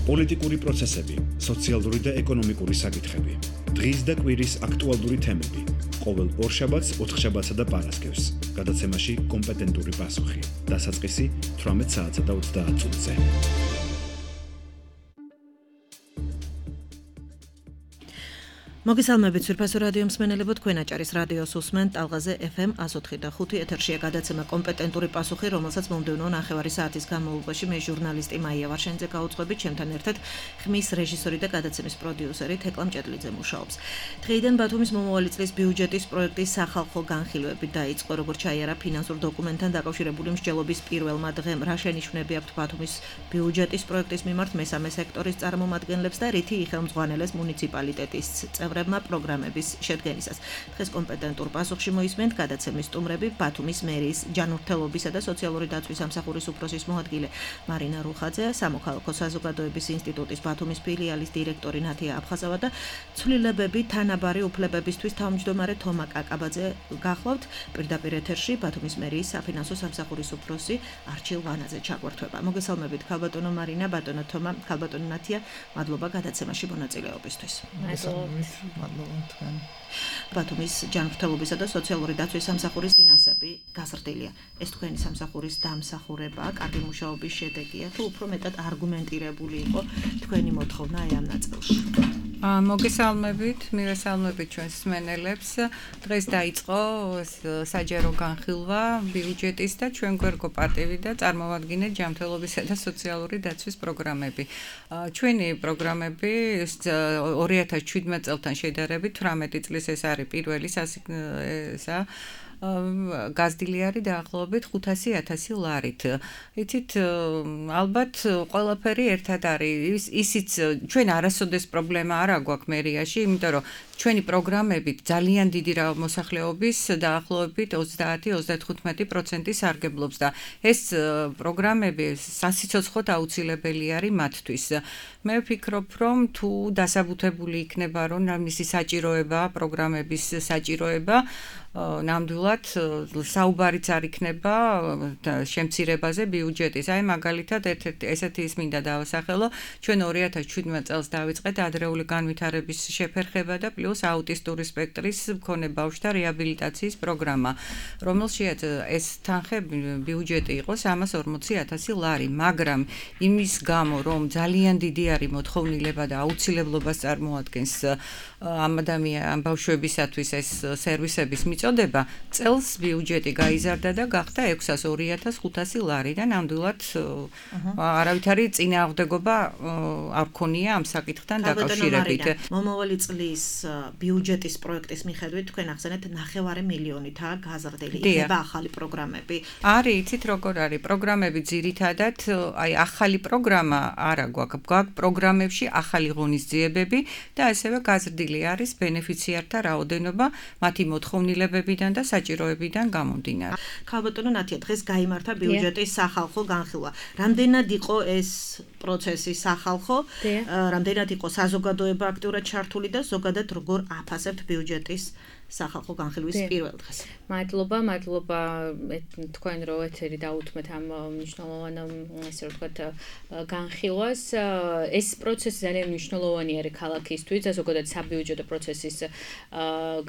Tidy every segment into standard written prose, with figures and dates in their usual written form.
პოლიტიკური პროცესები, სოციალური და ეკონომიკური საკითხები. დღის და კვირის აქტუალური თემები. ყოველ ორშაბათს, ოთხშაბათსა და პარასკევს. გადაცემაში კომპეტენტური პასუხი. დასაწყისი 18 საათსა და 30 წუთზე. მოგესალმებით სვირფასო რადიო მსმენელებო, თქვენ აჭარის რადიოს უსმენთ ტალღაზე FM 104.5 ეთერშია გადაცემა კომპეტენტური პასუხი, რომელსაც მომდევნო ნახევარი საათის განმავლობაში მე ჟურნალისტი მაია ვარშენიძე გაუძღვებით, ჩემთან ერთად ხმის რეჟისორი და გადაცემის პროდიუსერი თეკლა მჭედლიძე მუშაობს. დღეიდან ბათუმის მომავალი წლის ბიუჯეტის პროექტის სახალხო განხილვები დაიწყო, როგორც ჩაიარა ფინანსურ დოკუმენტთან დაკავშირებული მსჯელობის პირველმა დღემ. რა შენიშვნები აქვთ ბათუმის ბიუჯეტის პროექტის მიმართ მესამე სექტორის წარმომადგენლებს და რითი იხელმძღვანელეს მუნიციპალიტეტის წევრებმა პროგრამების შედგენისას. დღეს კომპეტენტურ პასუხში მოისმენთ გადაცემის სტუმრები ბათუმის მერიის ჯანმრთელობისა და სოციალური დაცვის სამსახურის უფროსის მოადგილე მარინა რუხაძე, სამოქალაქო საზოგადოების ინსტიტუტის ბათუმის ფილიალის დირექტორი ნათია აფხაზავა და ცვლილებები თანაბარი უფლებებისთვის თავმჯდომარე თომა კაკაბაძე გახლავთ. პირდაპირ ეთერში ბათუმის მერიის საფინანსო სამსახურის უფროსი არჩილ ვანაძე ჩაგვერთვება. მოგესალმებით ქალბატონო მარინა, ბატონო თომა, ქალბატონო ნათია, მადლობა გადაცემაში მონაწილეობისთვის. მადლობა თქვენ. ბათუმის ჯანმრთელობისა და სოციალური დაცვის სამსახურის ფინანსები გაზრდილია. ეს თქვენი სამსახურის დამსახურება, კარგი მუშაობის შედეგია, თუ უფრო მეტად არგუმენტირებული იყო თქვენი მოთხოვნა ამ ნაწილში? მოგესალმებით, მივესალმებით ჩვენს მსმენელებს. დღეს დაიწყო საჯარო განხილვა ბიუჯეტის და ჩვენ გვერგო პატივი და წარმოვადგინეთ ჯანმრთელობისა და სოციალური დაცვის პროგრამები. ჩვენი პროგრამები 2017 წელთან შედარებით 18 წლის ეს არის პირველი გაზრდილი არის დაახლოებით 500,000 ლარით. იცით, ალბათ ყველაფერი ერთად არის. ისიც ჩვენ არასოდეს პრობლემა არ აქვს მერიაში, იმიტომ რომ ჩვენი პროგრამები ძალიან დიდი მოსახლეობის დაახლოებით 30-35% სარგებლობს და ეს პროგრამები სასიცოცხლოდ აუცილებელი არის მათთვის. მე ვფიქრობ, რომ თუ დასაბუთებული იქნება, რომ მისი საჭიროება, პროგრამების საჭიროება ნამდვილად საუბარიც არ იქნება შემცირებაზე ბიუჯეტის. აი მაგალითად ესეთი ის მინდა დავასახელო, ჩვენ 2017 წელს დავიწყეთ ადრეული განვითარების შეფერხება და პლუს აუტისტური სპექტრის მქონე ბავშვთა რეაბილიტაციის პროგრამა, რომელშიც ეს თანხე ბიუჯეტი იყო 340,000 ლარი, მაგრამ იმის გამო, რომ ძალიან დიდი არის მოთხოვნილება და აუცილებლობას წარმოადგენს ამ ბავშვებისათვის ეს სერვისების მიწოდება, წელს ბიუჯეტი გაიზარდა და გახდა 602,500 ლარი და ნამდვილად არავითარი წინააღმდეგობა არ ქონია ამ საკითხთან დაკავშირებით. მომავალი წლის ბიუჯეტის პროექტის მიხედვით თქვენ ახსენეთ 9 მილიონითაა გაზრდილი. იქნება ახალი პროგრამები. არის, იცით როგორ არის? პროგრამები ძირითადად, აი ახალი პროგრამა არა გვაქვს პროგრამებში ახალი ღონისძიებები და ასევე გაზრდილი არის ბენეფიციართა რაოდენობა მათი მოთხოვნილებებიდან და საჭიროებიდან გამომდინარე. ქალბატონო ნათია, დღეს გაიმართა ბიუჯეტის სახალხო განხილვა. რამდენად იყო ეს პროცესი სახალხო? რამდენად იყო საზოგადოება აქტიურად ჩართული და ზოგადად როგორ აფასებთ ბიუჯეტის სახალხო განხილვის პირველ დღეს? მადლობა თქვენ რო ეთერი დაუთმეთ ამ მნიშვნელოვან ესე რომ ვთქვათ განხილვას. ეს პროცესი ძალიან მნიშვნელოვანი არის ქალაქისთვის და ზოგადად საბიუჯეტო პროცესის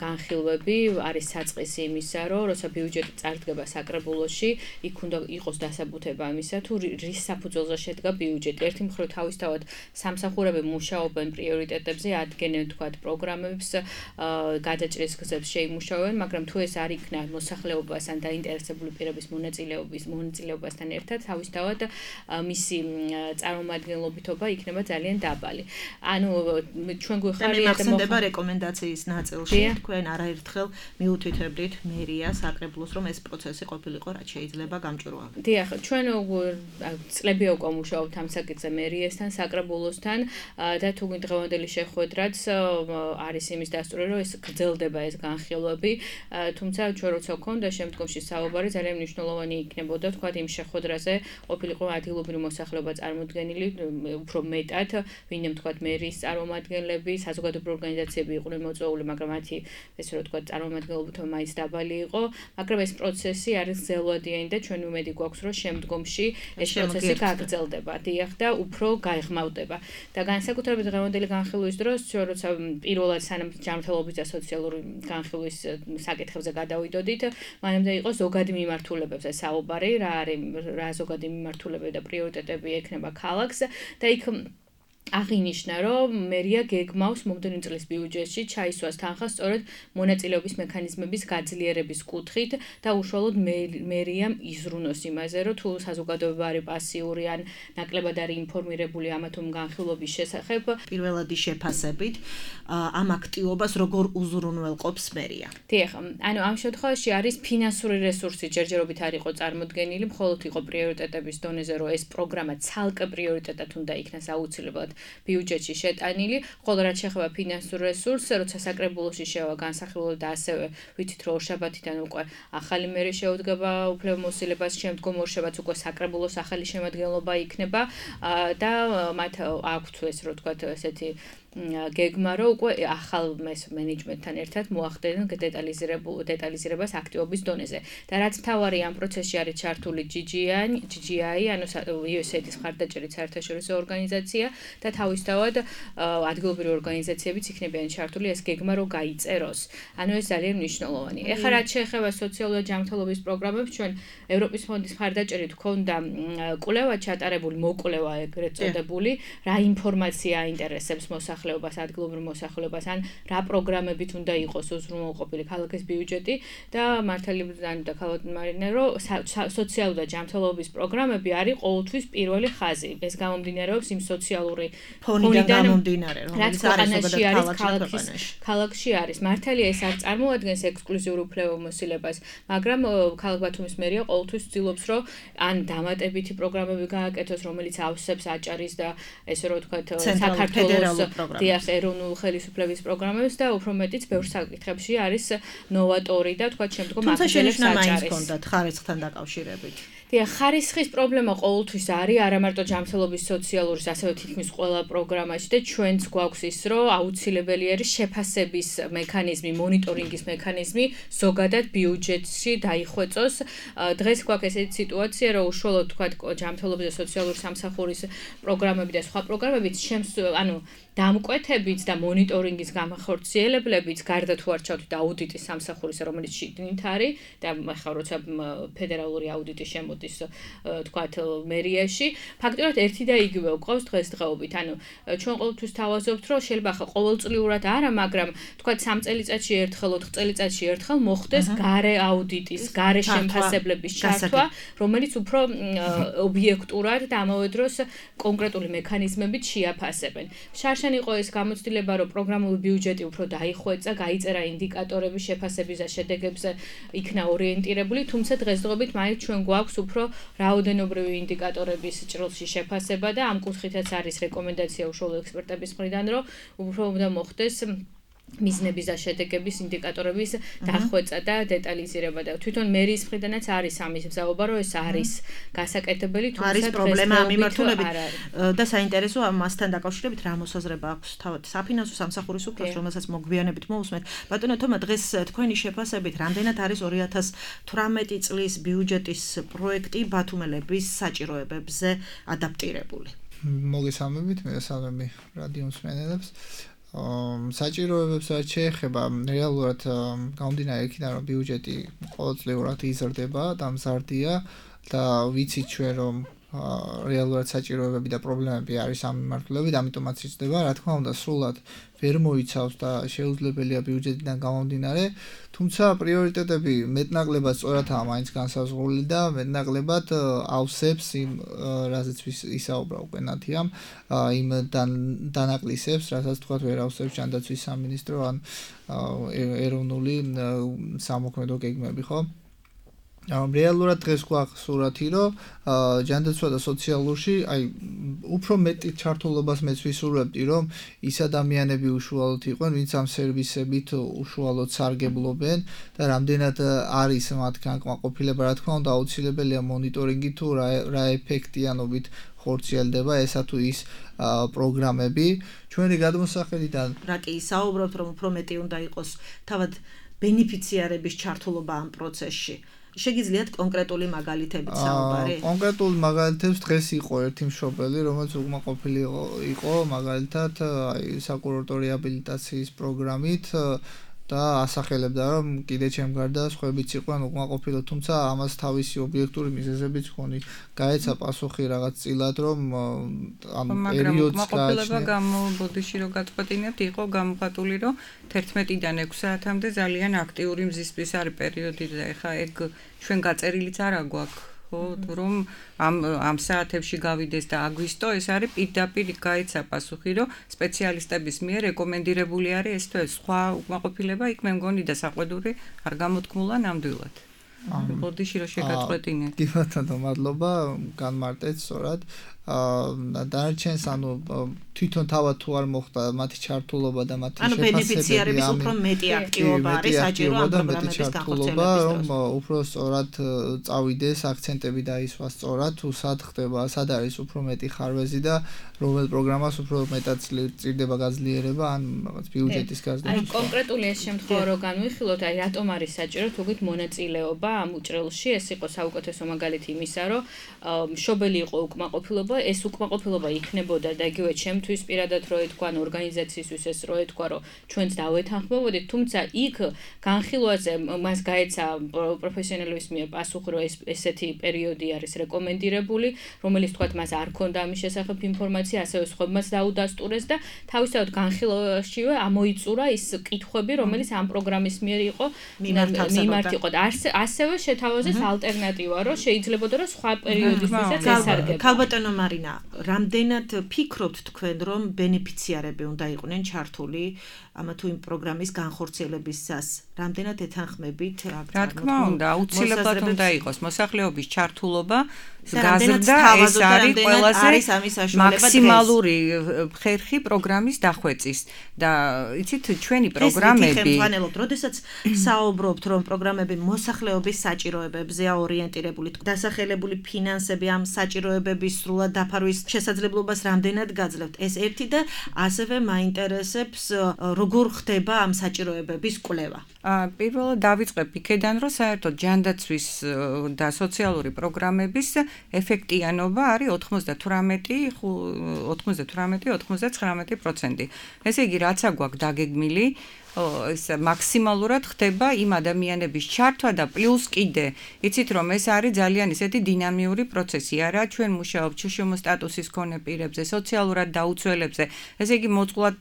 განხილვები არის საწყისი იმისა, რომ როცა ბიუჯეტი წარდგება საკრებულოში, იქ უნდა იყოს დასაბუთება იმისა, თუ რის საფუძველზე შედგა ბიუჯეტი. ერთი მხრივ თავისთავად სამსახურები მუშაობენ პრიორიტეტებზე, ადგენენ ვთქვათ პროგრამებს, გადაჭრის გზებს შეიმუშავებენ, მაგრამ თუ ეს არ იქნა მოსახლეობასთან დაინტერესებული პირების მონაწილეობასთან ერთად, თავისთავად მისი წარმომადგენლობითობა იქნება ძალიან დაბალი. ანუ ჩვენ გვეხარია და მოხდება რეკომენდაციის ნაწილში, თქვენ არაერთხელ მიუთითებდით მერიას, საკრებულოს, რომ ეს პროცესი ყოფილიყო, რაც შეიძლება გამჭვირვალე. დიახ, ჩვენ წლები უკვე მუშაობთ ამ საკითხზე მერიასთან, საკრებულოსთან და თუ დღევანდელი შეხვედრაც არის იმის დასტური, რომ ეს გრძელდება ეს განხილვები, თუმცა ჩვენ როცა გვქონდა შემდგომში საუბარი ძალიან მნიშვნელოვანი იქნებოდა თქვა იმ შეხვედრაზე ყოფილიყო ადგილობრივი მოსახლეობა წარმოდგენილი უფრო მეტად, ვინმე თქვა მერის წარმომადგენლები, საზოგადოებრივი ორგანიზაციები იყვნენ მოწვეული, მაგრამ მათი ესე რომ თქვა წარმომადგენლობა მაინც დაბალი იყო, მაგრამ ეს პროცესი არის ძელვადიანი და ჩვენ უმედი გვაქვს რომ შემდგომში ეს პროცესი გაგრძელდება, დიახ და უფრო გაიღმავდება. და განსაკუთრებით დღევანდელი განხილვის დროს, როცა პირველად სანამ ჯანმრთელობის და სოციალური განხილვის საკითხებზე გადავიდოდით, მანამდე იყო ზოგადი მიმართულებებზე საუბარი, რა ზოგადი მიმართულებები და პრიორიტეტები ექნება ქალაქს და იქ აღინიშნა, რომ მერია გეგმავს მომდევნო წლის ბიუჯეტში ჩაისვას თანხა სწორედ მონაწილეობის მექანიზმების გაძლიერების კუთხით და უშუალოდ მერიამ იზრუნოს იმაზე, რომ თუ საზოგადოება არის პასიური ან ნაკლებად არის ინფორმირებული ამა თუ იმ განხილვების შესახებ, პირველადი შეფასებით ამ აქტივობას როგორ უზრუნველყოფს მერია. დიახ, ანუ ამ შემთხვევაში არის ფინანსური რესურსი ჯერჯერობით არ იყო წარმოდგენილი, მხოლოდ იყო პრიორიტეტების დონეზე, რომ ეს პროგრამა ცალკე პრიორიტეტად უნდა იქნას აუცილებლად ბიუჯეტში შეტანილი, ხოლო რაც შეეხება ფინანსურ რესურსს, როცა საკრებულოში შევა განსახილველი და ასევე ვიცით რომ ორშაბათიდან უკვე ახალი მერი შეუდგება უფლებამოსილებას, შემდგომ ორშაბათს უკვე საკრებულოს ახალი შემადგენლობა იქნება და მათ აქვთ ეს რო თქვა ესეთი გეგმა რომ უკვე ახალ მენეჯმენტთან ერთად მოახდენენ დეტალიზირებას აქტივობის დონეზე. და რაც მთავარი ამ პროცესში არის ჩართული GGI, ანუ USAID-ის მხარდაჭერით საერთაშორისო ორგანიზაცია და თავისთავად ადგილობრივი ორგანიზაციებიც იქნებიან ჩართული ეს გეგმა რომ გაიწეროს. ანუ ეს ძალიან მნიშვნელოვანი. ეხლა რაც შეეხება სოციალური ჯანმრთელობის პროგრამებს, ჩვენ ევროპის ფონდის მხარდაჭერით გვქონდა კვლევა ჩატარებული, მოკვლევა ეგრეთ წოდებული, რა ინფორმაცია აინტერესებს მოსახლეობას, ადგილობრივ მოსახლეობას, ან რა პროგრამებით უნდა იყოს უზრუნველყოფილი ქალაქის ბიუჯეტი და მართალიდან და ქალმარინე რომ სოციალური და ჯანმრთელობის პროგრამები არის ყოველთვის პირველი ხაზი. ეს გამომდინარეობს იმ სოციალური ფონიდან გამომდინარე, რომელიც ქალაქში არის. მართალია ეს არ წარმოადგენს ექსკლუზიურ უფლებამოსილებას, მაგრამ ქალაქ ბათუმის მერია ყოველთვის ცდილობს, რომ ან დამატებითი პროგრამები გააკეთოს, რომელიც ავსებს აჭარის და ესე რომ ვთქვათ საქართველოს დიახ ეროვნულ ხელისუფლების პროგრამებს და უფრო მეტიც ბევრ საკითხებში არის ნოვატორი და ვთქვათ შემდგომ აღიარებს აჭარის. თუნდაც ხარისხთან დაკავშირებით. დიახ, ხარისხის პრობლემა ყოველთვის არის, არა მარტო ჯანმრთელობის სოციალურის, ასევე თითქმის ყველა პროგრამაში და ჩვენც გვაქვს ის, რომ აუცილებელი არის შეფასების მექანიზმი, მონიტორინგის მექანიზმი ზოგადად ბიუჯეტში დაიხვეწოს. დღეს გვაქვს ესეთი სიტუაცია, რომ უშუალოდ თქვა ჯანმრთელობის და სოციალური სამსახურის პროგრამები და სხვა პროგრამებიც ანუ დამკვეთებით და მონიტორინგის გამახორციელებლებით, გარდა თუ არ ჩავთვით აუდიტის სამსახურისა, რომელიც შიგნით არის და ახლა როცა ფედერალური აუდიტი შემოდის, თქვათ მერიაში, ფაქტობრივად ერთი და იგივე გვყავს დღესდღეობით. ანუ ჩვენ ყოველთვის თავაზობთ, რომ შეიძლება ახლა ყოველწლიურად არა, მაგრამ თქვათ 3 წელიწადში ერთხელ, 4 წელიწადში ერთხელ მოხდეს გარე აუდიტის, გარე შემფასებლების ჩართვა, რომელიც უფრო ობიექტურად და ამავე დროს კონკრეტული მექანიზმებით შეაფასებენ. იყო ეს გამოცდილება, რომ პროგრამული ბიუჯეტი უფრო დაიხვეწა, გაიწერა ინდიკატორები შეფასების და შედეგებზე იქნა ორიენტირებული, თუმცა დღესდღეობით მაინც ჩვენ გვაქვს უფრო რაოდენობრივი ინდიკატორების ჭრილში შეფასება და ამ კუთხითაც არის რეკომენდაცია უშუალო ექსპერტების მხრიდან, რომ უფრო უნდა მოხდეს მიზნების და შედეგების ინდიკატორების დახვეწა და დეტალიზირება და თვითონ მერის მხრიდანაც არის ამის მზაობა, რომ ეს არის გასაკეთებელი, თუმცა არის პრობლემა ამ მიმართულებით და საინტერესო ამასთან დაკავშირებით რა მოსაზრება აქვს თავად საფინანსო სამსახურის უფროს, რომელსაც მოგვიანებით მოусმენთ. ბატონო თომა, დღეს თქვენი შეფასებით რამდენად არის 2018 წლის ბიუჯეტის პროექტი ბათუმელების საჭიროებებზე ადაპტირებული? მოგესალმებით, მეესალმები რადიო მსმენელებს. საჭიროებებს რაც შეეხება რეალურად გამომდინარე იქიდან რომ ბიუჯეტი ყოველწლიურად იზრდება და მზარდია და ვიცით ჩვენ რომ რეალურად საჭიროებები და პრობლემები არის ამ მიმართულებით, ამიტომაც იზრდება, რა თქმა უნდა, სრულად ვერ მოიცავს და შეუძლებელია ბიუჯეტიდან გამომდინარე, თუმცა პრიორიტეტები მეტნაკლებად სწორადაა მაინც განსაზღვრული და მეტნაკლებად ავსებს იმ რაზეც ისაუბრა უკვე ნათიამ, იმ დანაკლისებს, რასაც თქვა ვერ ავსებს ჯანდაცვის სამინისტრო ან ეროვნული სამოქმედო გეგმები, ხო? რეალურად დღეს გვაქვს სურათი, რომ ჯანდაცვა და სოციალურში, აი, უფრო მეტი ჩართულობას მეც ვისურვებდი, რომ ის ადამიანები უშუალოდ იყვნენ, ვინც ამ სერვისებით უშუალოდ სარგებლობენ და რამდენად არის მათ განკმაყოფილება, რა თქმა უნდა, აუცილებელია მონიტორინგი თუ რა ეფექტიანობით ხორციელდება ესა თუ ის პროგრამები. ჩვენი გადმოსახედიდან რა კი საუბრობთ, რომ უფრო მეტი უნდა იყოს თავად ბენეფიციარების ჩართულობა ამ პროცესში. შეგიძლიათ კონკრეტული მაგალითებით საუბარი? კონკრეტულ მაგალითებს დღეს იყო ერთი მშობელი, რომელიც უკმაყოფილი იყო მაგალითად აი საკურორტო რეაბილიტაციის პროგრამით და ასახელებდა, რომ კიდე ჩემ გარდა სხვაებიც იყვნენ უკმაყოფილო, თუმცა ამას თავისი ობიექტური მიზეზებიც ჰქონი. გაეცა პასუხი რაღაც წილად, რომ ამ პერიოდს უკმაყოფილება გამობოდიში რომ გაწყვეტინებთ, იყო გამოხატული, რომ 11-დან 6 საათამდე ძალიან აქტიური მზისმის არის პერიოდი და ეხა ეგ ჩვენ გაწერილიც არა გვაქვს. ხო, რომ ამ საათებში გავიდეს და აგვისტო, ეს არის პირდაპირ გაეცა პასუხი, რომ სპეციალისტების მიერ რეკომენდირებული არის ეს თუ ეს სხვა უკმაყოფილება იქ მე მგონი და საყვედური არ გამოთქმულა ნამდვილად. ბოდიში რომ შეგაწყვეტინეთ. კი ბატონო, მადლობა, განმარტეთ სწორად. დანარჩენს ანუ თვითონ თავად თუ არ მოხდა მათი ჩართულობა და მათი შეფასებები, ანუ ბენეფიციარების უფრო მეტი აქტივობა არის საჭირო ამ პროგრამების განხორციელების რომ უფრო სწორად წავიდეს აქცენტები დაისვას სწორად თუ სად ხდება, სად არის უფრო მეტი ხარვეზი და რომელ პროგრამას უფრო მეტად წირდება გაძლიერება ან რაღაც ბიუჯეტის გაზრდა. აი კონკრეტული ეს შემთხვევა რო განვიხილოთ, აი რატომ არის საჭირო თუგით მონაწილეობა ამ უჭრელში, ეს იყო საუკეთესო მაგალითი იმისა, რომ მშობელი იყო უკმაყოფილება, ეს უკმაყოფილება იქნებოდა და იგივე ჩემთვის პირადად რო ეთქვა, ორგანიზაციისთვის ეს რო ეთქვა, რომ ჩვენც დავეთანხმებოდით, თუმცა იქ განხილვაზე მას გაეცა პროფესიონალების მიერ პასუხი, რომ ესეთი პერიოდი არის რეკომენდირებული, რომელიც თქვათ მას არ ქონდა ამის შესახებ ინფორმაცია, ასევე სხვებმაც დაუდასტურეს და თავისთავად განხილვაშივე ამოიწურა ის კითხვები, რომელიც ამ პროგრამის მიერ იყო მიმართ იყო და ასევე შეთავაზეს ალტერნატივა, რომ შეიძლებოდა რომ სხვა პერიოდისთვისაც ესარგებოდა. ქალბატონო მარინა, რამდენად ფიქრობთ თქვენ, რომ ბენეფიციარები უნდა იყვნენ ჩართული ამა თუ იმ პროგრამის განხორციელებისას? რამდენად ეთანხმებით? რა თქმა უნდა, აუცილებლად უნდა იყოს მოსახლეობის ჩართულობა, გაზრდა ეს არის ყველაზე მაქსიმალური ხერხი პროგრამის დახვეწის და იცით ჩვენი პროგრამები როდესაც საუბრობთ, რომ პროგრამები მოსახლეობის საჭიროებებზეა ორიენტირებული, დასახელებული ფინანსები ამ საჭიროებების სრულად დაფარვის შესაძლებლობას რამდენად გაძლევთ? ეს ერთი და ასევე მაინტერესებს როგორ ხდება ამ საჭიროებების კვლევა? პირველად დავიწყებ იქედან, რომ საერთოდ ჯანდაცვის და სოციალური პროგრამების ეფექტიანობა არის 98-99%. ესე იგი, რაც აგვაქვს დაგეგმილი, ეს მაქსიმალურად ხდება იმ ადამიანების ჩართვა და პლუს კიდე იცით რომ ეს არის ძალიან ისეთი დინამიური პროცესი არა ჩვენ მუშაობთ შშმ სტატუსის მქონე პირებზე სოციალურად დაუცველებზე ესე იგი მოწყვლად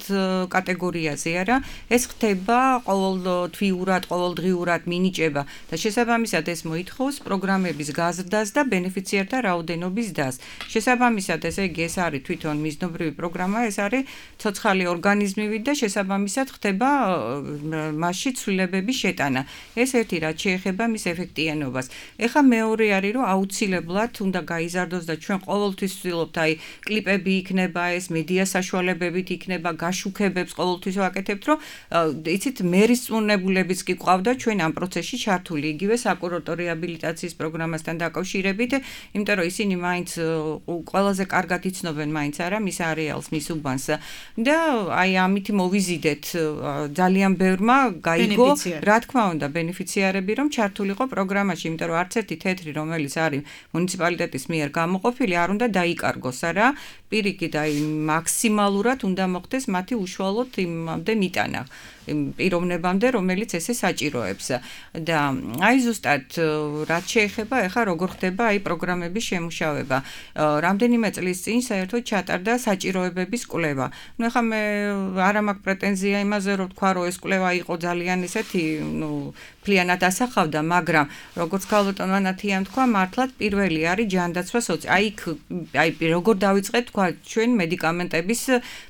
კატეგორიაზე არა ეს ხდება ყოველთვიურად ყოველდღიურად მინიჭება და შესაბამისად ეს მოითხოვს პროგრამების გაზრდას და ბენეფიციართა რაოდენობის დას შესაბამისად ესე იგი ეს არის თვითონ მიზნობრივი პროგრამა ეს არის ცოცხალი ორგანიზმივით და შესაბამისად ხდება მასში ცვლილებების შეტანა. ეს ერთი რაც შეეხება მის ეფექტიანობას. ეხლა მეორე არის რომ აუცილებლად უნდა გაიზარდოს და ჩვენ ყოველთვის ვცდილობთ აი კლიპები იქნება ეს მედია საშუალებებით იქნება გაშუქებებს ყოველთვის ვაკეთებთ რომ იცით მერისწუნებულებიც კი ყავდა ჩვენ ამ პროცესში ჩართული იგივე საკურორტო რეაბილიტაციის პროგრამასთან დაკავშირებით იმიტომ რომ ისინი მაინც ყველაზე კარგად იცნობენ მაინც არა მის არეალს მის უბანს და აი ამით მოვიზიდეთ ძალიან ბევრმა გაიგო რა თქმა უნდა ბენეფიციარები რომ ჩართულიყო პროგრამაში იმიტომ რომ არც ერთი თეთრი რომელიც არის მუნიციპალიტეტის მიერ გამოყოფილი არ უნდა დაიკარგოს არა პირიქით აი მაქსიმალურად უნდა მოხდეს მათი უშუალოდ იმამდე მიტანა პიროვნებამდე რომელიც ესე საჭიროებს და აი ზუსტად რაც შეეხება ეხა როგორ ხდება აი პროგრამების შემუშავება რამდენიმე წლის წინ საერთოდ ჩატარდა საჭიროებების კვლევა ნუ ეხა მე არ მაქვს პრეტენზია იმაზე რომ თქვა რომ ეს კვლევა იყო ძალიან ისეთი, მთლიანად ასახავდა, მაგრამ როგორც ქალბატონ ანათიამ თქვა, მართლაც პირველი არის ჯანდაცვა აი როგორ დავიწყეთ თქვა ჩვენ მედიკამენტების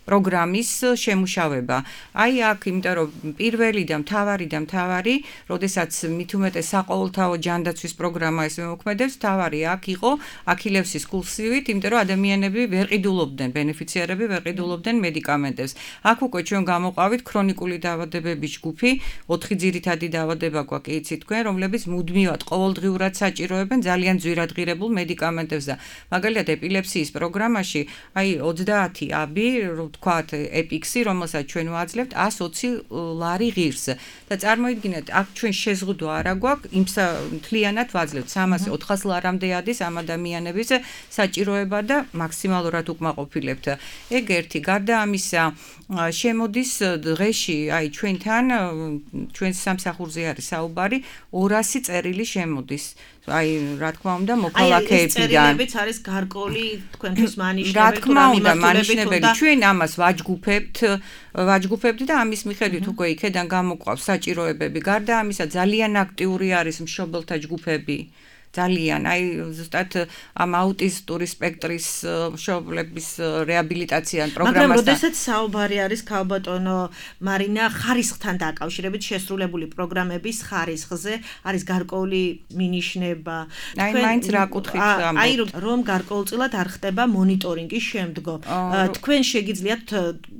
პროგრამის შემუშავება. აი აქ, იმიტომ რომ პირველი და მთავარი, როდესაც მით უმეტეს საყოველთაო ჯანდაცვის პროგრამა ეს მოქმედებს, მთავარი აქ იყო აქილევსის კურსივით, იმიტომ რომ ადამიანები ვერ ყიდულობდნენ, ბენეფიციარები ვერ ყიდულობდნენ მედიკამენტებს. აქ უკვე ჩვენ გამოყავით ქრონიკული დაავადებების ჯგუფი, 4 ძირითადი დაავადება გვაქვს, იცით თქვენ, რომლებიც მუდმივად ყოველდღიურად საჭიროებენ ძალიან ძვირადღირებულ მედიკამენტებს და მაგალითად ეპილეფსიის პროგრამაში აი 30 აბი, ვთქვათ, ეპიქსი, რომელსაც ჩვენ ვაძლევთ 120 ლარი ღირს და წარმოიდგინეთ, აქ ჩვენ შეზღუდვა არა გვაქვს, მთლიანად ვაძლევთ 300-400 ლარამდე ადის ამ ადამიანების საჭიროება და მაქსიმალურად უკმაყოფილებთ. ეგ ერთი, გარდა ამისა, შემოდის დღეში, აი ჩვენთან, ჩვენს სამსახურზე არის საუბარი, 200 წერილი შემოდის. აი, რა თქმა უნდა, მოქალაქეებიდან. აი, ეს წერილებიც არის გარკვეული თქვენთვის მანიშნებელი, რა თქმა უნდა, მანიშნებელი. ჩვენ ამას ვაჯგუფებთ და ამის მიხედვით უკვე იქიდან გამოგვყავს საჭიროებები. გარდა ამისა, ძალიან აქტიური არის მშობელთა ჯგუფები. ძალიან, აი ზუსტად ამ აუტისტური სპექტრის მშობლების რეაბილიტაციან პროგრამასთან. მაგრამ როდესაც საუბარი არის ქალბატონო მარინა ხარისხთან დაკავშირებით შესრულებული პროგრამების ხარისხზე, არის გარკვეული მინიშნება. აი მაინც რა კუთხით ამბობთ? აი რომ გარკვეულწილად არ ხდება მონიტორინგი შემდგომ. თქვენ შეგიძლიათ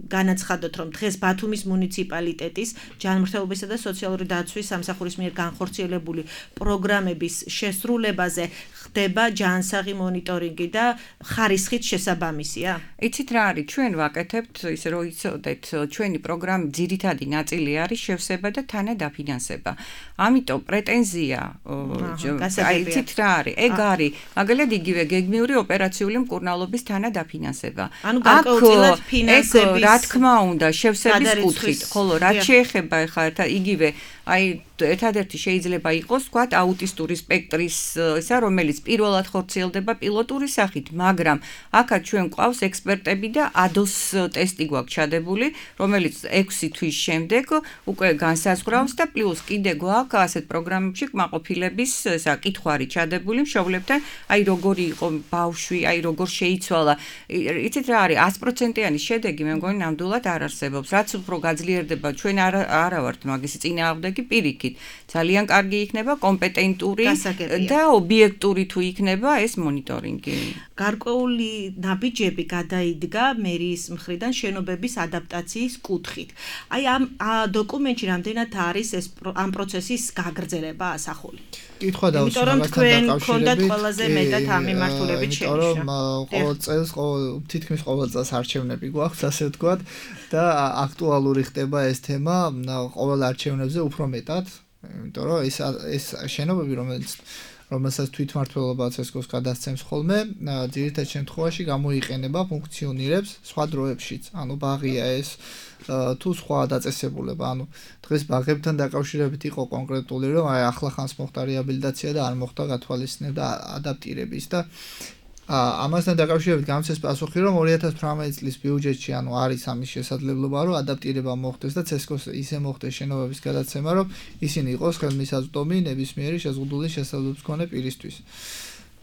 განაცხადოთ, რომ დღეს ბათუმის მუნიციპალიტეტის ჯანმრთელობისა და სოციალური დაცვის სამსახურის მიერ განხორციელებული პროგრამების შესრულებაზე ხდება ჯანსაღი მონიტორინგი და ხარისხით შესაბამისია? იცით რა არის, ჩვენ ვაკეთებთ, ისე რომ იცოდეთ, ჩვენი პროგრამის ძირითადი ნაწილი არის შევსება და თანადაფინანსება. ამიტომ პრეტენზია, აი იცით რა არის, ეგ არის, მაგალითად იგივე გეგმიური ოპერაციული მკურნალობის თანადაფინანსება. ანუ გარკვეულწილად ფინანსების რა თქმა უნდა, შევსების კუთხით, ხოლო რაც შეეხება ახლა იგივე აი ერთადერთი შეიძლება იყოს, ვთქვათ, აუტისტური სპექტრის ისა, რომელიც პირველად ხორციელდება პილოტური სახით, მაგრამ აქაც ჩვენ გვყავს ექსპერტები და ADOS ტესტი გვაქვს ჩადებული, რომელიც 6 თვის შემდეგ უკვე განსაზღვრავს და პლუს კიდე გვაქვს ასეთ პროგრამებში კმაყოფილების ისა კითხვარი ჩადებული მშობლებთან, აი როგორი იყო ბავშვი, აი როგორ შეიცვალა. იცით რა არის, 100%-იანი შედეგი მე მგონი ნამდვილად არ არსებობს. რაც უფრო გაძლიერდება, ჩვენ არა ვართ მაგისი წინააღმდეგი პირიქით. ძალიან კარგი იქნება კომპეტენტური და ობიექტური თუ იქნება ეს მონიტორინგი. გარკვეული ნაბიჯები გადაიდგა მერიის მხრიდან შენობების ადაპტაციის კუთხით. აი ამ დოკუმენტში რამდენად არის ეს ამ პროცესის გაგრძელება ასახული? კითხვა დავუსვამ ამასთან დაკავშირებით. ამ მიმართულებით შენიშნა. ყოველ წელს თითქმის ყოველ წელს არჩევნები გვაქვს, ასე ვთქვათ, და აქტუალური ხდება ეს თემა ყოველ არჩევნებზე უფრო მეტად, იმიტომ რომ ეს შენობები, რომელსაც თვითმმართველობა ცესკოს გადასცემს ხოლმე, ძირითად შემთხვევაში გამოიყენება, ფუნქციონირებს სხვა დროებშიც. ანუ ბაღია ეს თუ სხვა დაწესებულება, ანუ დღეს ბაღებთან დაკავშირებით იყო კონკრეტული, რომ აი ახლა ხანს მოხდა რეაბილიტაცია და არ მოხდა გათვალისწინება და ადაპტირების და ამასთან დაკავშირებით გამცეს პასუხი, რომ 2018 წლის ბიუჯეტში ანუ არის ამის შესაძლებლობა, რომ ადაპტირება მოხდეს და ცესკოს ისე მოხდეს შენობების გადაცემა, რომ ისინი იყოს ხელმისაწვდომი ნებისმიერი შეზღუდული შესაძლებლობის მქონე პირისთვის.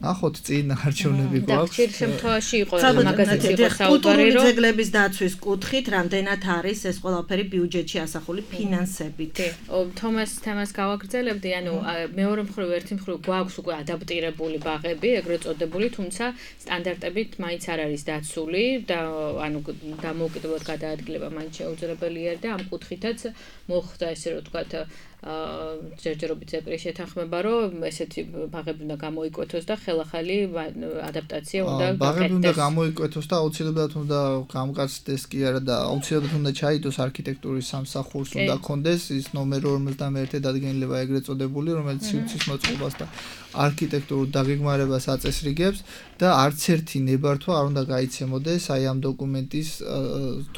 ნახოთ წინ არჩევნები გვაქვს. ხშირ შემთხვევაში იყო მაგაზეთი იყო საუბარი, კულტურული ძეგლების დაცვის კუთხით რამდენად არის ეს ყველაფერი ბიუჯეტში ასახული ფინანსებით. თომას თემას გავაგრძელებდი, ანუ მეორე მხრივ ერთი მხრივ გვაქვს უკვე ადაპტირებული ბაღები, ეგრეთ წოდებული, თუმცა სტანდარტებით მაინც არ არის დაცული და ანუ დამოუკიდებლად გადაადგილება მაინც შეუძლებელია და ამ კუთხითაც მოხდა ესე რომ ვთქვათ ჯერჯერობით ზეპრი შეთანხმება, რომ ესეთი ბაღები უნდა გამოიკვეთოს და ხელახალი ადაპტაცია უნდა გაკეთდეს. ბაღები უნდა გამოიკვეთოს და აუცილებლად უნდა გამკაცდეს კი არა და აუცილებლად უნდა ჩაიდოს არქიტექტურის სამსახურს, უნდა კონდეს ის ნომერ 51 დადგენილება ეგრეთ წოდებული, რომელიც სივრცის მოწყობას და არქიტექტურულ დაგეგმარებას აწესრიგებს და არც ერთი ნებართვა არ უნდა გაიცემოდეს აი ამ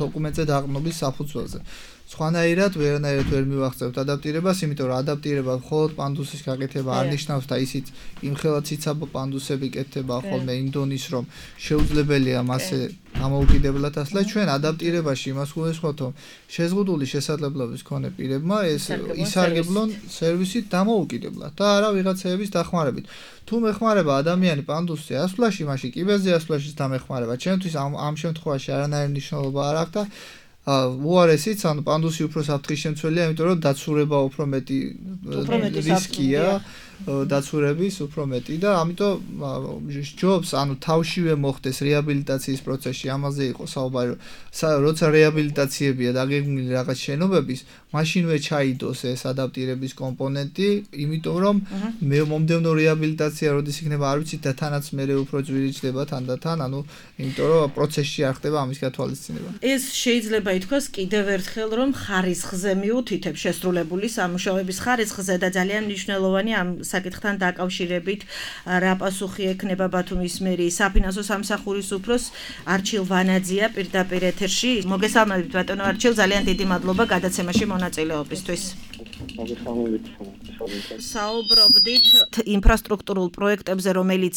დოკუმენტზე დაყრდნობის საფუძველზე. სხვანაირად ვერანაირად ვერ მივახცევთ ადაპტირებას, იმიტომ რომ ადაპტირება მხოლოდ პანდუსის გაკეთება არ ნიშნავს და ისიც იმხელა ციცაბო პანდუსები კეთდება ხოლმე იმ დონის, რომ შეუძლებელია მასზე ამოუკიდებლად ასლა. ჩვენ ადაპტირებაში იმას გულისხმობთ, რომ შეზღუდული შესაძლებლობის მქონე პირებმა ეს ისარგებლონ სერვისით დამოუკიდებლად და არა ვიღაცეების დახმარებით. თუ მეხმარება ადამიანი პანდუსზე ასვლაში, მაშინ კიბეზე ასვლაშიც დამეხმარება. ჩვენთვის ამ შემთხვევაში არანაირი მნიშვნელობა არ აქვს და უარესიც, ანუ პანდუსი უფრო საფრთხის შემცველია, იმიტომ რომ დაცურება უფრო მეტი რისკია, დაცურების უფრო მეტი და ამიტომ ჯობს, ანუ თავშივე მოხდეს რეაბილიტაციის პროცესში, ამაზე იყო საუბარი, როცა რეაბილიტაციებია დაგეგმილი რაღაც შენობების, მაშინვე ჩაიდოს ეს ადაპტირების კომპონენტი, იმიტომ რომ მომდევნო რეაბილიტაცია როდის იქნება არ ვიცით და თანაც მე უფრო ძვირი ჩდება თანდათან, ანუ იმიტომ რომ პროცესში არ ხდება ამის გათვალისწინება. ეს შეიძლება ითქვას კიდევ ერთხელ, რომ ხარისხზე მიუთითებს შესრულებული სამუშაოების ხარისხზე და ძალიან მნიშვნელოვანი ამ საკითხთან დაკავშირებით რა პასუხი ექნება ბათუმის მერიის საფინანსო სამსახურის უფროს არჩილ ვანაძია პირდაპირ ეთერში. მოგესალმებით ბატონო არჩილ, ძალიან დიდი მადლობა გადაცემაში მონაწილეობისთვის. საუბრობდით ინფრასტრუქტურულ პროექტებზე, რომელიც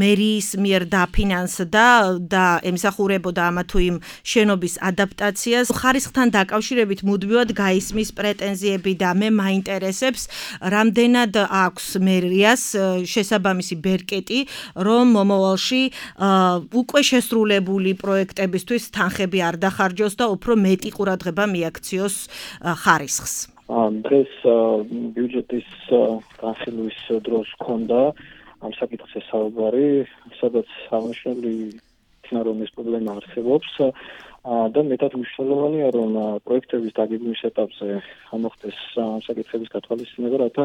მერიის მიერ დაფინანსდა და ემსახურებოდა ამა თუ იმ შენობის ადაპტაციას. ხარისხთან დაკავშირებით მუდმივად გაისმის პრეტენზიები და მე მაინტერესებს, რამდენად აქვს მერიას შესაბამისი ბერკეტი, რომ მომავალში უკვე შესრულებული პროექტებისთვის თანხები არ დახარჯოს და უფრო მეტი ყურადღება მიაქციოს ხარისხს. დღეს ბიუჯეტის განხილვის დროს ჰქონდა ამ საკითხზე საუბარი, სადაც აღნიშნული იქნა, რომ ეს პრობლემა არსებობს და მეტად მნიშვნელოვანია, რომ პროექტების დაგეგმვის ეტაპზე მოხდეს ამ საკითხების გათვალისწინება, რათა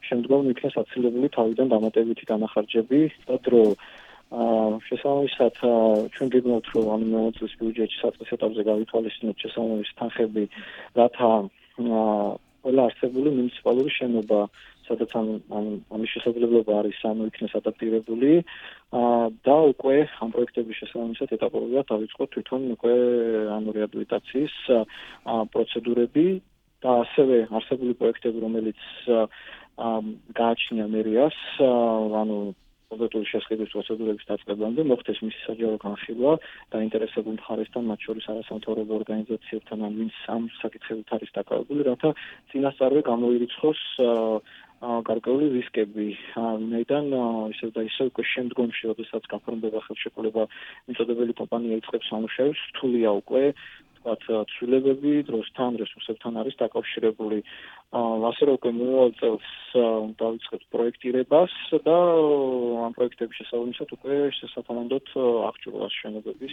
შემდგომ იქნეს აცილებული თავიდან დამატებითი განახარჯები და დრო. შესაბამისად, ჩვენ გეგმავთ, რომ ამ წლის ბიუჯეტში საწყის ეტაპზე გავითვალისწინოთ შესაბამისი თანხები, რათა ყველა არსებული მუნიციპალური შენობა, სადაც ამის შესაძლებლობა არის, იქნეს ადაპტირებული და უკვე ამ პროექტების შესაბამისად ეტაპობრივად დავიწყოთ თვითონ უკვე რეაბილიტაციის პროცედურები და ასევე არსებული პროექტები, რომელიც გააჩნია მერიას, კონკრეტული შესყიდვის პროცედურების დაწყებამდე მოხდეს მისი საჯარო განხილვა დაინტერესებულ მხარესთან, მათ შორის არასამთავრობო ორგანიზაციებთან, ვინც ამ საკითხებით არის დაკავებული, რათა წინასწარვე გამოირიცხოს გარკვეული რისკები. ვინაიდან ისევ და ისევ უკვე შემდგომში, როდესაც გაფორმდება ხელშეკრულება, მიწოდებელი კომპანია იწყებს სამუშაოს, რთულია უკვე ცვლილებები დროსთან, რესურსებთან არის დაკავშირებული. ასე რომ უკვე მომავალ წელს დავიწყებთ პროექტირებას და ამ პროექტების შესაბამისად უკვე შესაბამისად აღჭურვას შენობების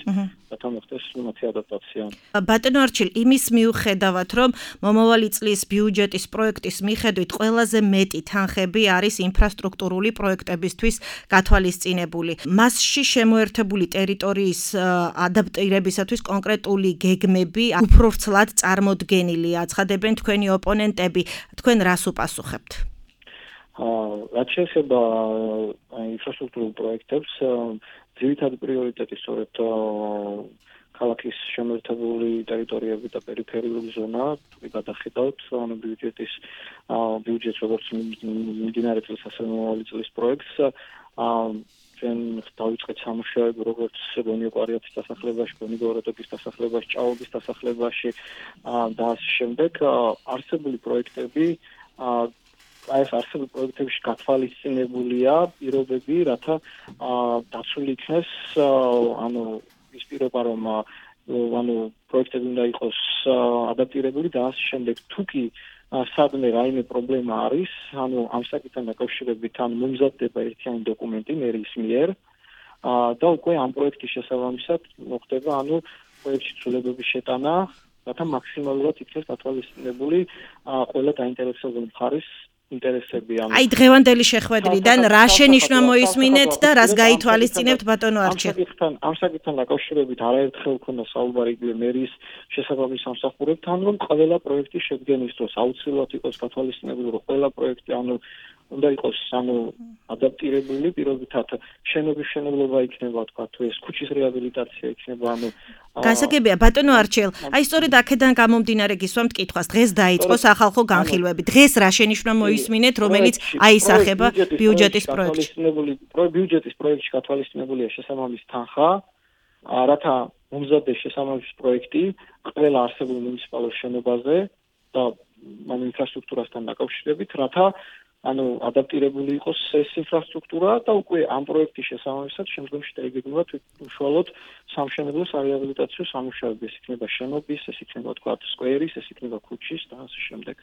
რათა მოხდეს მათი ადაპტაცია. ბატონო არჩილ, იმის მიუხედავად, რომ მომავალი წლის ბიუჯეტის პროექტის მიხედვით ყველაზე მეტი თანხები არის ინფრასტრუქტურული პროექტებისთვის გათვალისწინებული. მასში შემოერთებული ტერიტორიის ადაპტირებისათვის კონკრეტული გეგმები უფრო ვრცლად წარმოდგენილია. ცხადებენ თქვენი ოპონენტები. თქვენ რას უპასუხებთ? რაც შეეხება ინფრასტრუქტურულ პროექტებს, ძირითადი პრიორიტეტი სწორედ ქალაქის შემოერთებული ტერიტორიები და პერიფერიული ზონა, გადახედავთ ბიუჯეტს როგორც მიმდინარე წლის, ასევე მომავალი წლის პროექტს. ჩვენ დავიწყეთ სამუშაოები როგორც გონიო-კვარიათის დასახლებაში, გონი-გოროდოკის დასახლებაში, ჭაობის დასახლებაში და ამ შემდეგ არსებული პროექტები ეს არსებული პროექტებში გათვალისწინებულია პირობები, რათა დაცული იქნეს ის პირობა, რომ პროექტები უნდა იყოს ადაპტირებული და ამ შემდეგ თუკი სადმე რაიმე პრობლემა არის, ამ საკითხთან დაკავშირებით მომზადდება ერთიანი დოკუმენტი მერიის მიერ და უკვე ამ პროექტის შესაბამისად მოხდება პროექტში ცვლილებების შეტანა, რათა მაქსიმალურად იქნეს გათვალისწინებული ყველა დაინტერესებული მხარის ინტერესები. აი დღევანდელი შეხვედრიდან რა შენიშვნა მოისმინეთ და რას გაითვალისწინებთ ბატონო არჩილ? ამ საკითხთან დაკავშირებით არაერთხელ ქონდა საუბარი მერიის შესაბამის სამსახურებთან, რომ ყველა პროექტის შედგენის დროს აუცილებლად იყოს გათვალისწინებული, რომ ყველა პროექტი უნდა იყოს ადაპტირებული პირობითად შენობის მშენებლობა იქნება თქვა თუ ეს ქუჩის რეაბილიტაცია იქნება გასაგებია ბატონო არჩილ აი სწორედ აქედან გამომდინარე გისვამთ კითხვას დღეს დაიწყო სახალხო განხილვები დღეს რა შენიშვნა მოისმინეთ რომელიც აისახება ბიუჯეტის პროექტში ბიუჯეტის პროექტში გათვალისწინებულია შესაბამისი თანხა რათა მომზადდეს შესაბამისი პროექტი ყველა არსებულ მუნიციპალურ შენობაზე და ინფრასტრუქტურასთან დაკავშირებით რათა ადაპტირებული იყოს ეს ინფრასტრუქტურა და უკვე ამ პროექტის შესაბამისად შემდგომში დაიგეგმება უშუალოდ სამშენებლო სარეაბილიტაციო სამუშაოები ეს იქნება შენობის ეს იქნება თქვა სკვერის ეს იქნება ქუჩის და ასე შემდეგ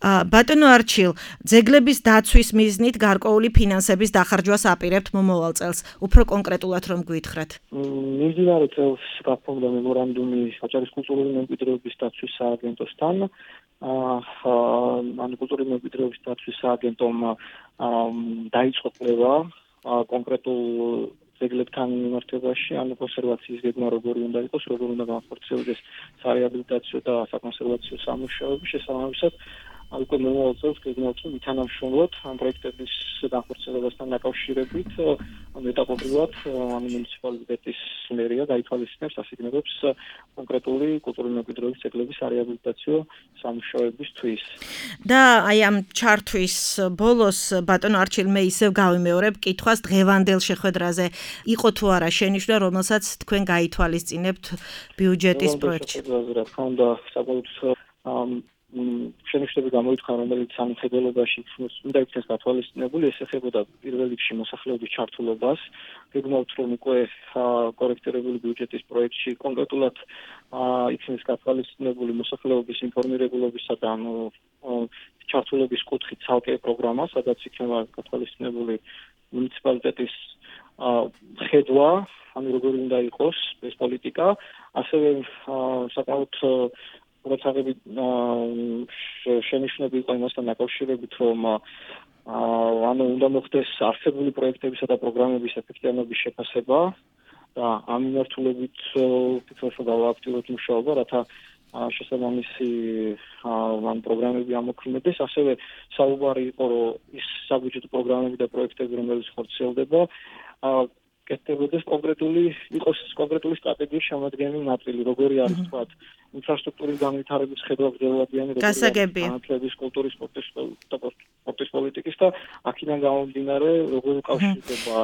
ბატონო არჩილ ძეგლების დაცვის მიზნით გარკვეული ფინანსების დახარჯვას აპირებთ მომავალ წელს უფრო კონკრეტულად რომ გითხრათ მიმდინარე წელს გაფორმდა მემორანდუმი აჭარის კულტურული მემკვიდრეობის დაცვის სააგენტოსთან კულტურული მემკვიდრეობის დაცვის სააგენტომ დაიწყო კვლევა კონკრეტულ ძეგლებთან მიმართებაში, კონსერვაციის გეგმა როგორი უნდა იყოს, როგორ უნდა განხორციელდეს სარეაბილიტაციო და საკონსერვაციო სამუშაოები, შესაბამისად უკვე მომავალ წელს გეგმავთ ვითანამშრომლოთ ამ პროექტების განხორციელებასთან დაკავშირებით, ეტაპობრივად მუნიციპალიტეტის მერია გაითვალისწინებს ასიგნებებს კონკრეტული კულტურული მემკვიდრეობის ძეგლების სარეაბილიტაციო სამუშაოებისთვის. და აი ამ ჩართვის ბოლოს ბატონო არჩილ მე ისევ გავიმეორებ კითხვას დღევანდელ შეხვედრაზე იყო თუ არა შენიშვნა, რომელსაც თქვენ გაითვალისწინებთ ბიუჯეტის პროექტში. რა თქმა უნდა, საბოლოოდ შენიშვნები გამოითქვა, რომელიც სამხედროებაში უნდა იქნეს გათვალისწინებული, ეს ეხებოდა პირველ რიგში მოსახლეობის ჩართულობას. გეგმავთ, რომ უკვე კორექტირებული ბიუჯეტის პროექტში კონკრეტულად იქნეს გათვალისწინებული მოსახლეობის ინფორმირებულობისა და ჩართულობის კუთხით ცალკე პროგრამა, სადაც იქნება გათვალისწინებული მუნიციპალიტეტის ხედვა, როგორი უნდა იყოს ეს პოლიტიკა, ასევე საკმაოდ როცაღები შენიშვნები იყო იმასთან დაკავშირებით, რომ უნდა მოხდეს არსებული პროექტებისა და პროგრამების ეფექტიანობის შეფასება და ამ მიმართულებით ფიქრობ, რომ გავააქტიუროთ მუშაობა, რათა შესაბამისი პროგრამები ამოქმედდეს. ასევე საუბარი იყო, რომ ის საბიუჯეტო პროგრამები და პროექტები, რომელიც ხორციელდება, კეთდებოდეს კონკრეტული სტრატეგიის შემადგენელი ნაწილი, როგორი არის თქვა ინფრასტრუქტურის განვითარების ხედვა გრძელვადიანი, განათლების, კულტურის, სპორტის პოლიტიკის და აქედან გამომდინარე, როგორ უკავშირდება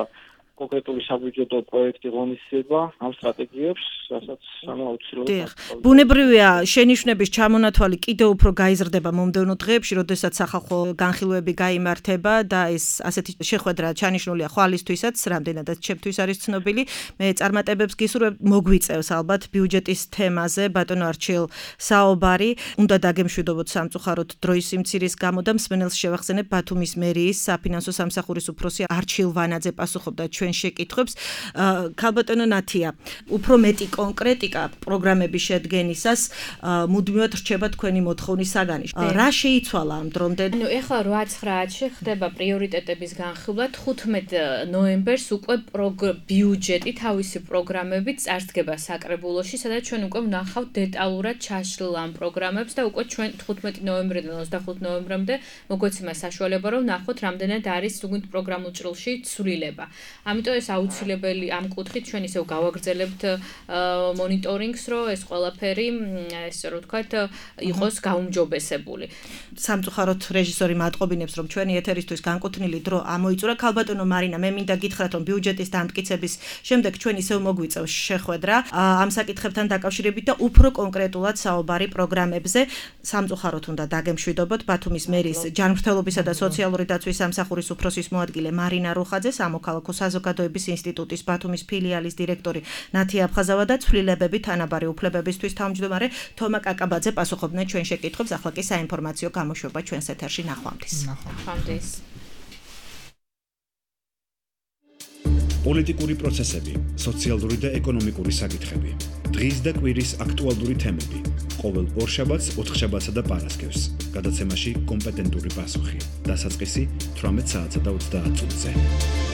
კონკრეტული საბიუჯეტო პროექტი ღონისძიება ამ სტრატეგიებს, რასაც აუცილებლად. ბუნებრივია შენიშვნების ჩამონათვალი კიდევ უფრო გაიზრდება მომდევნო დღეებში, როდესაც სახალხო განხილვები გაიმართება და ეს ასეთი შეხვედრა ჩანიშნულია ხვალისთვისაც, რამდენადაც ჩემთვის არის ცნობილი. მე წარმატებებს გისურვებ, მოგვიწევს ალბათ ბიუჯეტის თემაზე ბატონო არჩილ საუბარი. უნდა დაგემშვიდობოთ სამწუხაროდ დროის სიმცირის გამო და მსმენელს შევახსენებ ბათუმის მერიის საფინანსო სამსახურის უფროსი არჩილ ვანაძე პასუხობდა ჩვენ შეკითხვებს. ქალბატონო ნათია, უფრო მეტი კონკრეტიკა პროგრამების შედგენისას მუდმივად რჩება თქვენი მოთხოვნის საგანი. რა შეიცვალა ამ დრომდე? ეხლა 8-9-ში ხდება პრიორიტეტების განხილვა, 15 ნოემბერს უკვე ბიუჯეტი თავისი პროგრამებით წარსდგება საკრებულოში, სადაც ჩვენ უკვე ვნახავთ დეტალურად ჩაშლილ ამ პროგრამებს და უკვე ჩვენ 15 ნოემბრიდან 25 ნოემბრამდე მოგვეცემა საშუალება, რომ ვნახოთ რამდენად არის თუნდაც პროგრამულ ჭრილში ცვლილება. ამიტომ ეს აუცილებელი ამ კუთხით ჩვენ ისევ გავაგრძელებთ მონიტორინგს, რომ ეს ყველაფერი, ესე რომ ვთქვათ, იყოს გაუმჯობესებული. სამწუხაროდ რეჟისორი მატყობინებს, რომ ჩვენი ეთერისთვის განკუთვნილი დრო ამოიწურა. ქალბატონო მარინა, მე მინდა გითხრათ, რომ ბიუჯეტის დამტკიცების შემდეგ ჩვენ ისევ მოგვიწევს შეხვედრა ამ საკითხებთან დაკავშირებით და უფრო კონკრეტულად საუბარი პროგრამებზე. სამწუხაროდ უნდა დაგემშვიდობოთ ბათუმის მერის ჯანმრთელობისა და სოციალური დაცვის სამსახურის უფროსის მოადგილე მარინა რუხაძე, სამოქალაქო საზოგადოების ინსტიტუტის ბათუმის ფილიალის დირექტორი ნათია აფხაზავა და ცვლილებები თანაბარი უფლებებისთვის თავმჯდომარე თომა კაკაბაძე პასუხობდნენ ჩვენ შეკითხვებს. ახლა კი საინფორმაციო გამოშვება ჩვენს ეთერში ნახვამდის. პოლიტიკური პროცესები, სოციალური და ეკონომიკური საკითხები. დღის და კვირის აქტუალური თემები. ყოველ ორშაბათს, ოთხშაბათსა და პარასკევს. გადაცემაში კომპეტენტური პასუხი. დასაწყისი 18 საათსა და 30 წუთზე.